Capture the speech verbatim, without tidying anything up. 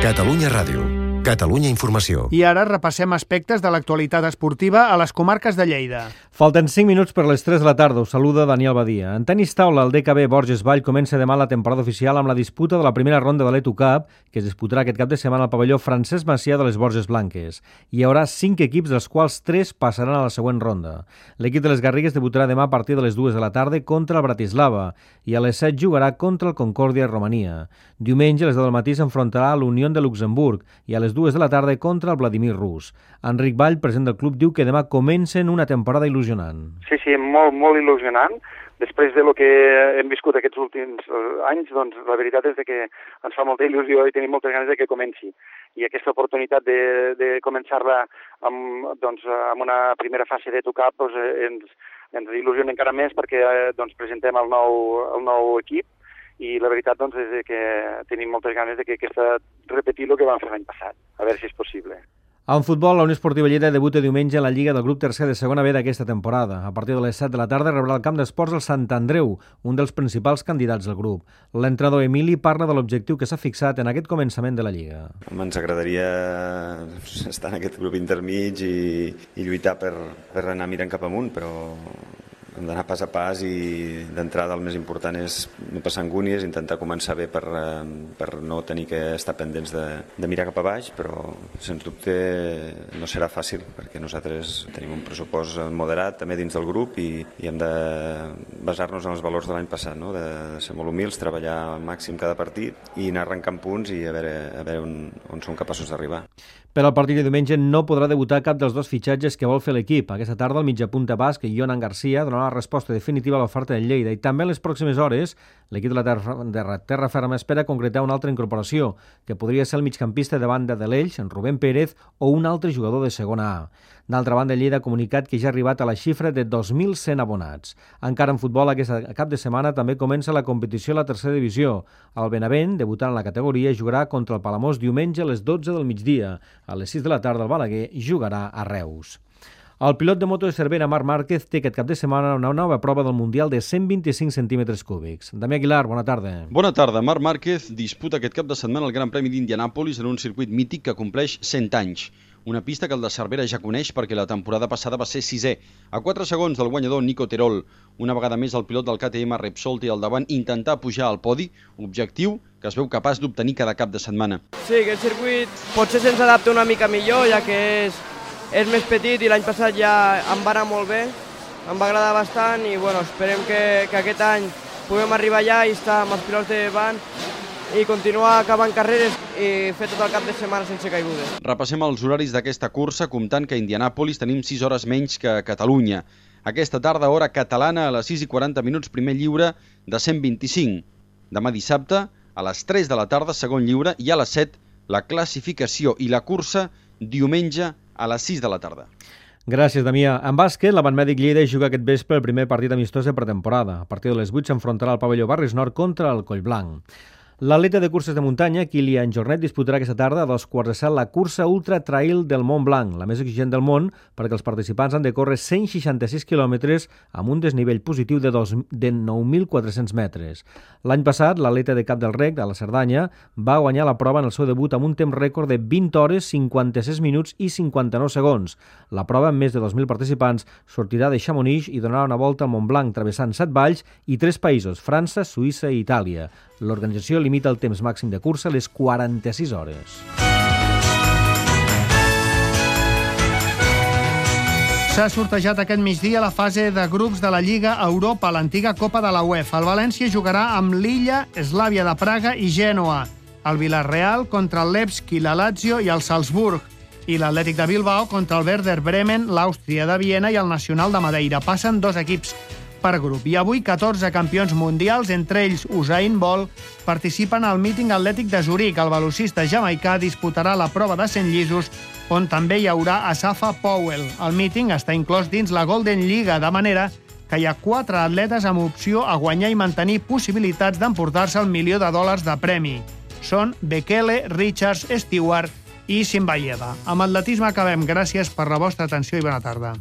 Catalunya Ràdio. Catalunya Informació. I ara repassem aspectes de l'actualitat esportiva a les comarques de Lleida. Falten cinc minuts per les tres de la tarda. Us saluda Daniel Badia. En tenis taula, el D K B Borges Vall comença demà la temporada oficial amb la disputa de la primera ronda de l'E T U Cup, que es disputarà aquest cap de setmana al pavelló Francesc Macià de les Borges Blanques. Hi haurà cinc equips, dels quals tres passaran a la següent ronda. L'equip de les Garrigues debutarà demà a partir de les dues de la tarda contra el Bratislava i a les set jugarà contra el Concòrdia Romania. Diumenge, a les deu del matí, s'enfrontarà a l'Unió de Luxemburg i a les dues de la tarda contra el Vladimir Rus. Enric Vall, president del club, diu que demà comencen una temporada il·lusionant. Sí, sí, molt, molt il·lusionant. Després de lo que hem viscut aquests últims anys, doncs la veritat és que ens fa molta il·lusió i tenim moltes ganes de que comenci. I aquesta oportunitat de, de començar-la amb, doncs, amb una primera fase de tocar doncs, ens, ens il·lusiona encara més perquè doncs, presentem el nou, el nou equip i la veritat doncs, és que tenim moltes ganes de que aquesta repetir el que vam fer l'any passat, a veure si és possible. En futbol, la Unió Esportiva Lleida debuta diumenge en la Lliga del grup tercer de segona B d'aquesta temporada. A partir de les set de la tarda rebrà el camp d'esports el Sant Andreu, un dels principals candidats del grup. L'entrenador Emili parla de l'objectiu que s'ha fixat en aquest començament de la Lliga. Ens agradaria estar en aquest grup intermig i, i lluitar per, per anar mirant cap amunt, però hem d'anar pas a pas i d'entrada el més important és no passar angúnies, intentar començar bé per, per no tenir que estar pendents de, de mirar cap a baix, però sens dubte no serà fàcil perquè nosaltres tenim un pressupost moderat també dins del grup i, i hem de basar-nos en els valors de l'any passat, no? De ser molt humils, treballar al màxim cada partit i anar arrencant punts i a veure, a veure on, on som capaços d'arribar. Per al partit de diumenge no podrà debutar cap dels dos fitxatges que vol fer l'equip. Aquesta tarda el mitjapunta basc Jonan Garcia donarà la resposta definitiva a l'oferta del Lleida i també en les pròximes hores l'equip de la terra, de terra ferma espera concretar una altra incorporació, que podria ser el migcampista de banda de l'Elx, en Rubén Pérez, o un altre jugador de segona A. D'altra banda, Lleida ha comunicat que ja ha arribat a la xifra de dos mil cent abonats. Encara en futbol, aquest cap de setmana també comença la competició a la tercera divisió. El Benavent, debutant en la categoria, jugarà contra el Palamós diumenge a les dotze del migdia. A les sis de la tarda el Balaguer jugarà a Reus. El pilot de moto de Cervera, Marc Márquez, té aquest cap de setmana una nova prova del Mundial de cent vint-i-cinc centímetres cúbics. Damià Aguilar, bona tarda. Bona tarda. Marc Márquez disputa aquest cap de setmana el Gran Premi d'Indianàpolis en un circuit mític que compleix cent anys. Una pista que el de Cervera ja coneix perquè la temporada passada va ser sisè, a quatre segons del guanyador Nico Terol. Una vegada més el pilot del K T M Repsol té al davant intentar pujar al podi, objectiu que es veu capaç d'obtenir cada cap de setmana. Sí, que el circuit potser se'ns adapta una mica millor, ja que és, és més petit i l'any passat ja em va anar molt bé, em va agradar bastant i bueno, esperem que, que aquest any puguem arribar allà i estar amb els pilots de van i continuar acabant carreres i fer tot el cap de setmana sense caigudes. Repassem els horaris d'aquesta cursa, comptant que a Indianàpolis tenim sis hores menys que a Catalunya. Aquesta tarda, hora catalana, a les sis i quaranta minuts, primer lliure de cent vint-i-cinc. Demà dissabte, a les tres de la tarda, segon lliure, i a les set, la classificació i la cursa, diumenge a les sis de la tarda. Gràcies, Damià. En bàsquet, l'Avant Mèdic Lleida juga aquest vespre el primer partit amistós de pretemporada. A partir de les vuit s'enfrontarà al pavelló Barris Nord contra el Collblanc. L'atleta de curses de muntanya, Kilian Jornet, disputarà aquesta tarda a dos quarts de set la cursa Ultra Trail del Mont Blanc, la més exigent del món, perquè els participants han de córrer cent seixanta-sis quilòmetres amb un desnivell positiu de, de nou mil quatre-cents metres. L'any passat, l'atleta de Cap del Rec, de la Cerdanya, va guanyar la prova en el seu debut amb un temps rècord de vint hores, cinquanta-sis minuts i cinquanta-nou segons. La prova, amb més de dos mil participants, sortirà de Chamonix i donarà una volta al Mont Blanc, travessant set valls i tres països, França, Suïssa i Itàlia. L'organització limita el temps màxim de cursa a les quaranta-sis hores. S'ha sortejat aquest migdia la fase de grups de la Lliga Europa, l'antiga Copa de la UEFA. El València jugarà amb l'Illa, Slavia de Praga i Gènova. El Villarreal contra el Levski, la Lazio i el Salzburg. I l'Atlètic de Bilbao contra el Werder Bremen, l'Àustria de Viena i el Nacional de Madeira. Passen dos equips per grup. I avui catorze campions mundials, entre ells Usain Bolt, participen al míting atlètic de Zuric. El velocista jamaicà disputarà la prova de cent llisos, on també hi haurà Asafa Powell. El míting està inclòs dins la Golden Lliga, de manera que hi ha quatre atletes amb opció a guanyar i mantenir possibilitats d'emportar-se el milió de dòlars de premi. Són Bekele, Richards, Stewart i Simbayeva. Amb atletisme acabem. Gràcies per la vostra atenció i bona tarda.